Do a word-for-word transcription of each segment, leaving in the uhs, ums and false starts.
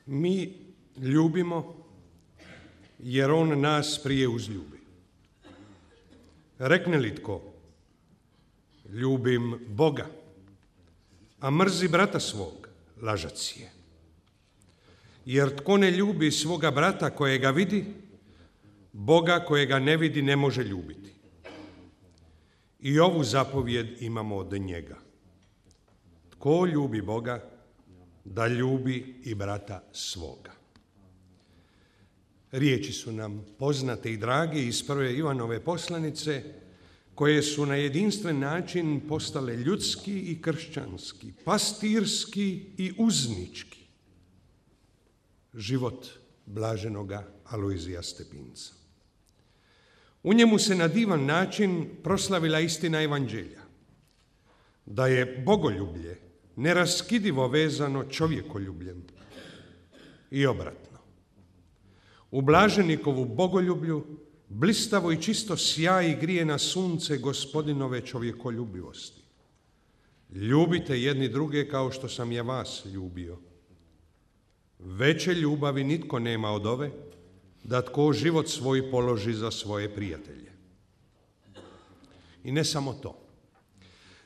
Mi ljubimo jer on nas prije uzljubi. Rekne li tko, ljubim Boga, a mrzi brata svog, lažac je. Jer tko ne ljubi svoga brata kojega vidi, Boga kojega ne vidi ne može ljubiti. I ovu zapovjed imamo od njega. Tko ljubi Boga, da ljubi i brata svoga. Riječi su nam poznate i drage iz prve Ivanove poslanice, koje su na jedinstven način postale ljudski i kršćanski, pastirski i uznički život blaženoga Alojzija Stepinca. U njemu se na divan način proslavila istina evanđelja, da je bogoljublje neraskidivo vezano čovjekoljubljem i obratno. U blaženikovu bogoljublju blistavo i čisto sjaji grije na sunce Gospodinove čovjekoljubivosti. Ljubite jedni druge kao što sam je vas ljubio. Veće ljubavi nitko nema od ove, da tko život svoj položi za svoje prijatelje. I ne samo to,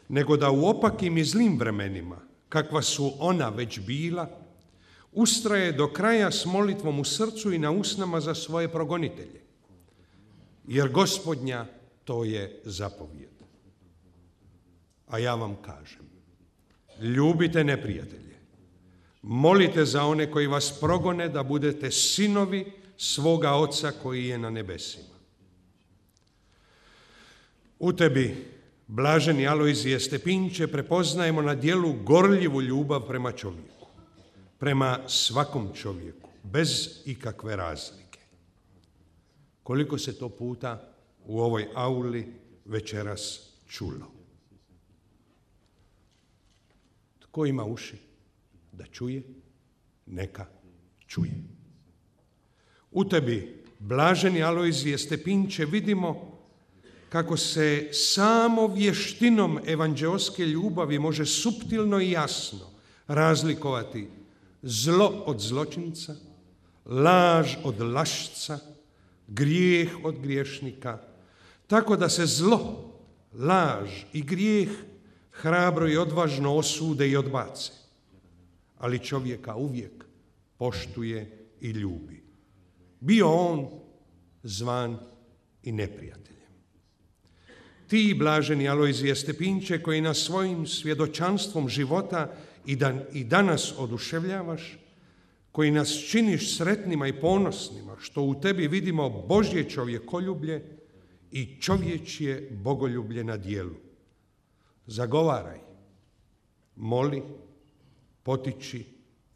nego da u opakim i zlim vremenima, kakva su ona već bila, ustraje do kraja s molitvom u srcu i na usnama za svoje progonitelje. Jer Gospodnja to je zapovjed. A ja vam kažem, ljubite neprijatelje, molite za one koji vas progone da budete sinovi svoga Oca koji je na nebesima. U tebi, blaženi Alojzije Stepinče, prepoznajemo na djelu gorljivu ljubav prema čovjeku, prema svakom čovjeku, bez ikakve razlike. Koliko se to puta u ovoj auli večeras čulo. Tko ima uši da čuje, neka čuje. U tebi, blaženi Alojzije Stepinče, vidimo kako se samo vještinom evanđeoske ljubavi može suptilno i jasno razlikovati zlo od zločinca, laž od lašca, grijeh od griješnika, tako da se zlo, laž i grijeh hrabro i odvažno osude i odbace, ali čovjeka uvijek poštuje i ljubi. Bio on zvan i neprijateljem. Ti, blaženi Alojzije Stepinče, koji nas svojim svjedočanstvom života i, dan, i danas oduševljavaš, koji nas činiš sretnima i ponosnima, što u tebi vidimo Božje čovjekoljublje i čovječje bogoljublje na djelu. Zagovaraj, moli, potiči,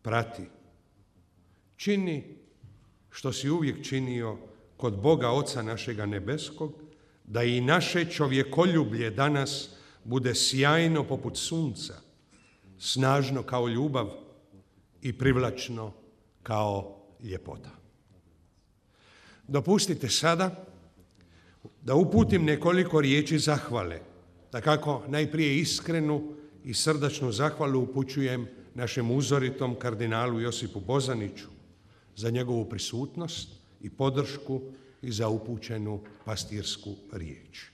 prati. Čini što si uvijek činio kod Boga Oca našega nebeskog, da i naše čovjekoljublje danas bude sjajno poput sunca, snažno kao ljubav i privlačno kao ljepota. Dopustite sada da uputim nekoliko riječi zahvale, dakako najprije iskrenu i srdačnu zahvalu upućujem našem uzoritom kardinalu Josipu Bozaniću za njegovu prisutnost i podršku i za upućenu pastirsku riječ.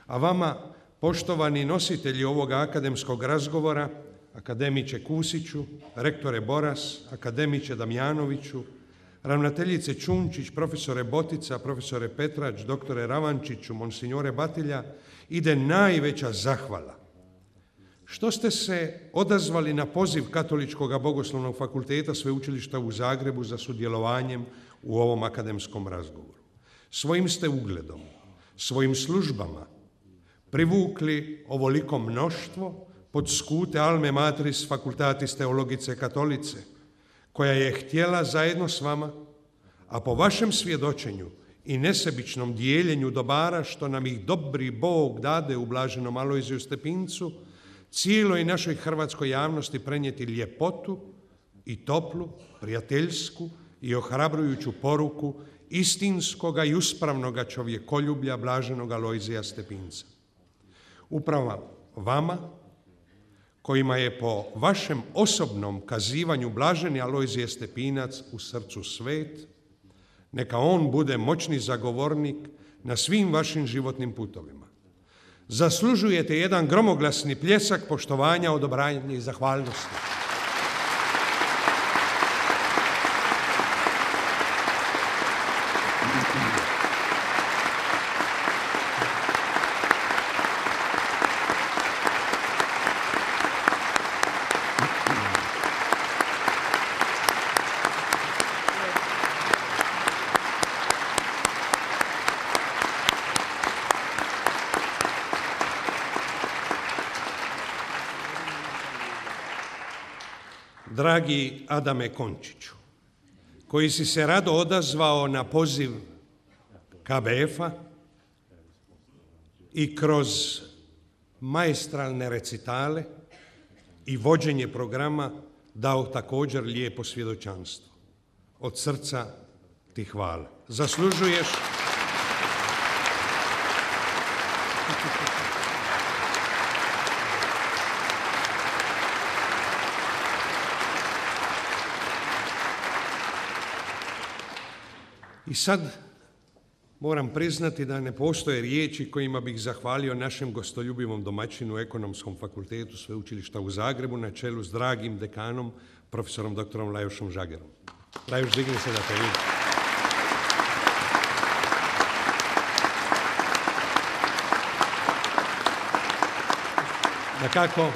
A vama, poštovani nositelji ovoga akademskog razgovora, akademiče Kusiću, rektore Boras, akademiče Damjanoviću, ravnateljice Čunčić, profesore Botica, profesore Petrač, doktore Ravančiću, monsignore Batilja, ide najveća zahvala što ste se odazvali na poziv Katoličkog bogoslovnog fakulteta Sveučilišta u Zagrebu za sudjelovanjem u ovom akademskom razgovoru. Svojim ste ugledom, svojim službama privukli ovoliko mnoštvo pod skute Alme Matris Facultatis Theologice Katolice, koja je htjela zajedno s vama, a po vašem svjedočenju i nesebičnom dijeljenju dobara što nam ih dobri Bog dade u blaženom Alojziju Stepincu, cijeloj našoj hrvatskoj javnosti prenijeti ljepotu i toplu, prijateljsku i ohrabrujuću poruku istinskoga i uspravnoga čovjekoljublja blaženog Alojzija Stepinca. Upravo vama, kojima je po vašem osobnom kazivanju blaženi Alojzije Stepinac u srcu svet, neka on bude moćni zagovornik na svim vašim životnim putovima. Zaslužujete jedan gromoglasni pljesak poštovanja, odobranja i zahvalnosti. Dragi Adame Končiću, koji si se rado odazvao na poziv K B F-a i kroz maestralne recitale i vođenje programa dao također lijepo svjedočanstvo. Od srca ti hvala. Zaslužuješ I sad moram priznati da ne postoje riječi kojima bih zahvalio našem gostoljubivom domaćinu Ekonomskom fakultetu Sveučilišta u Zagrebu na čelu s dragim dekanom, profesorom doktorom Lajošom Žagerom. Lajoš, digni se da te vidim. Dakako,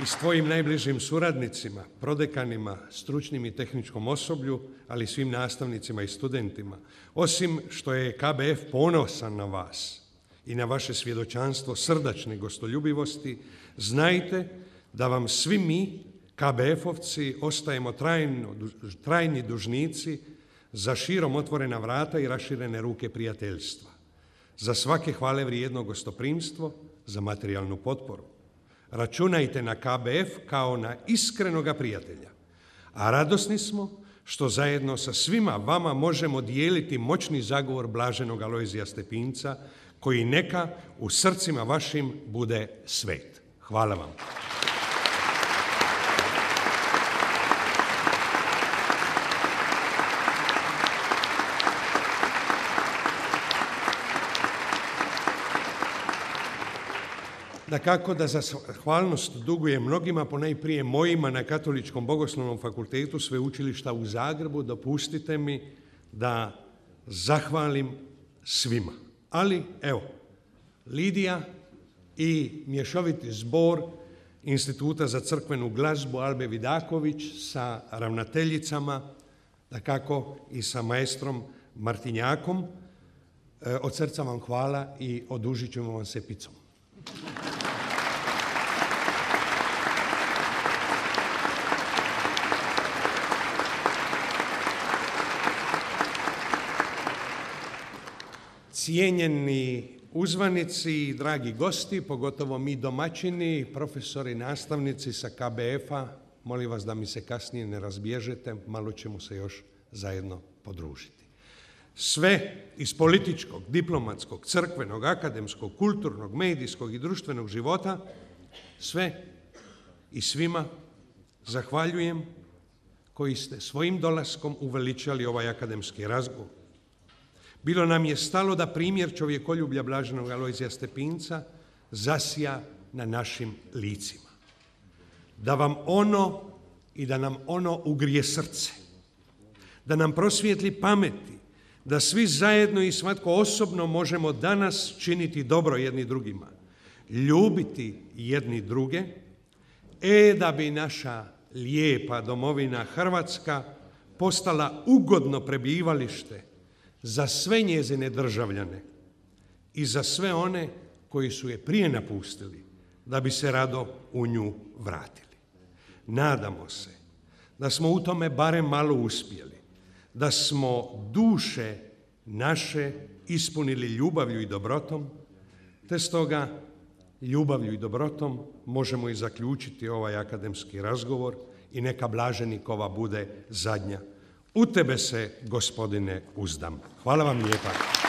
i s tvojim najbližim suradnicima, prodekanima, stručnim i tehničkom osoblju, ali i svim nastavnicima i studentima. Osim što je K B F ponosan na vas i na vaše svjedočanstvo srdačne gostoljubivosti, znajte da vam svi mi, K B F-ovci, ostajemo trajno, trajni dužnici za širom otvorena vrata i raširene ruke prijateljstva, za svake hvale vrijedno gostoprimstvo, za materijalnu potporu. Računajte na K B F kao na iskrenoga prijatelja, a radosni smo što zajedno sa svima vama možemo dijeliti moćni zagovor blaženog Alojzija Stepinca, koji neka u srcima vašim bude svet. Hvala vam. Dakako da za zahvalnost dugujem mnogima, ponajprije mojima na Katoličkom bogoslovnom fakultetu Sveučilišta u Zagrebu, dopustite mi da zahvalim svima. Ali, evo, Lidija i mješoviti zbor Instituta za crkvenu glazbu Albe Vidaković sa ravnateljicama, dakako i sa maestrom Martinjakom, od srca vam hvala i odužit ćemo vam se picom. Cijenjeni uzvanici, dragi gosti, pogotovo mi domaćini, profesori, nastavnici sa K B F-a, molim vas da mi se kasnije ne razbježete, malo ćemo se još zajedno podružiti. Sve iz političkog, diplomatskog, crkvenog, akademskog, kulturnog, medijskog i društvenog života, sve i svima zahvaljujem koji ste svojim dolaskom uveličali ovaj akademski razgovor. Bilo nam je stalo da primjer čovjekoljublja blaženog Alojzija Stepinca zasja na našim licima. Da vam ono i da nam ono ugrije srce. Da nam prosvijetli pameti. Da svi zajedno i svatko osobno možemo danas činiti dobro jedni drugima. Ljubiti jedni druge. E da bi naša lijepa domovina Hrvatska postala ugodno prebivalište za sve njezine državljane i za sve one koji su je prije napustili, da bi se rado u nju vratili. Nadamo se da smo u tome barem malo uspjeli, da smo duše naše ispunili ljubavlju i dobrotom, te stoga ljubavlju i dobrotom možemo i zaključiti ovaj akademski razgovor i neka blaženikova bude zadnja. U tebe se, Gospodine, uzdam. Hvala vam lijepa.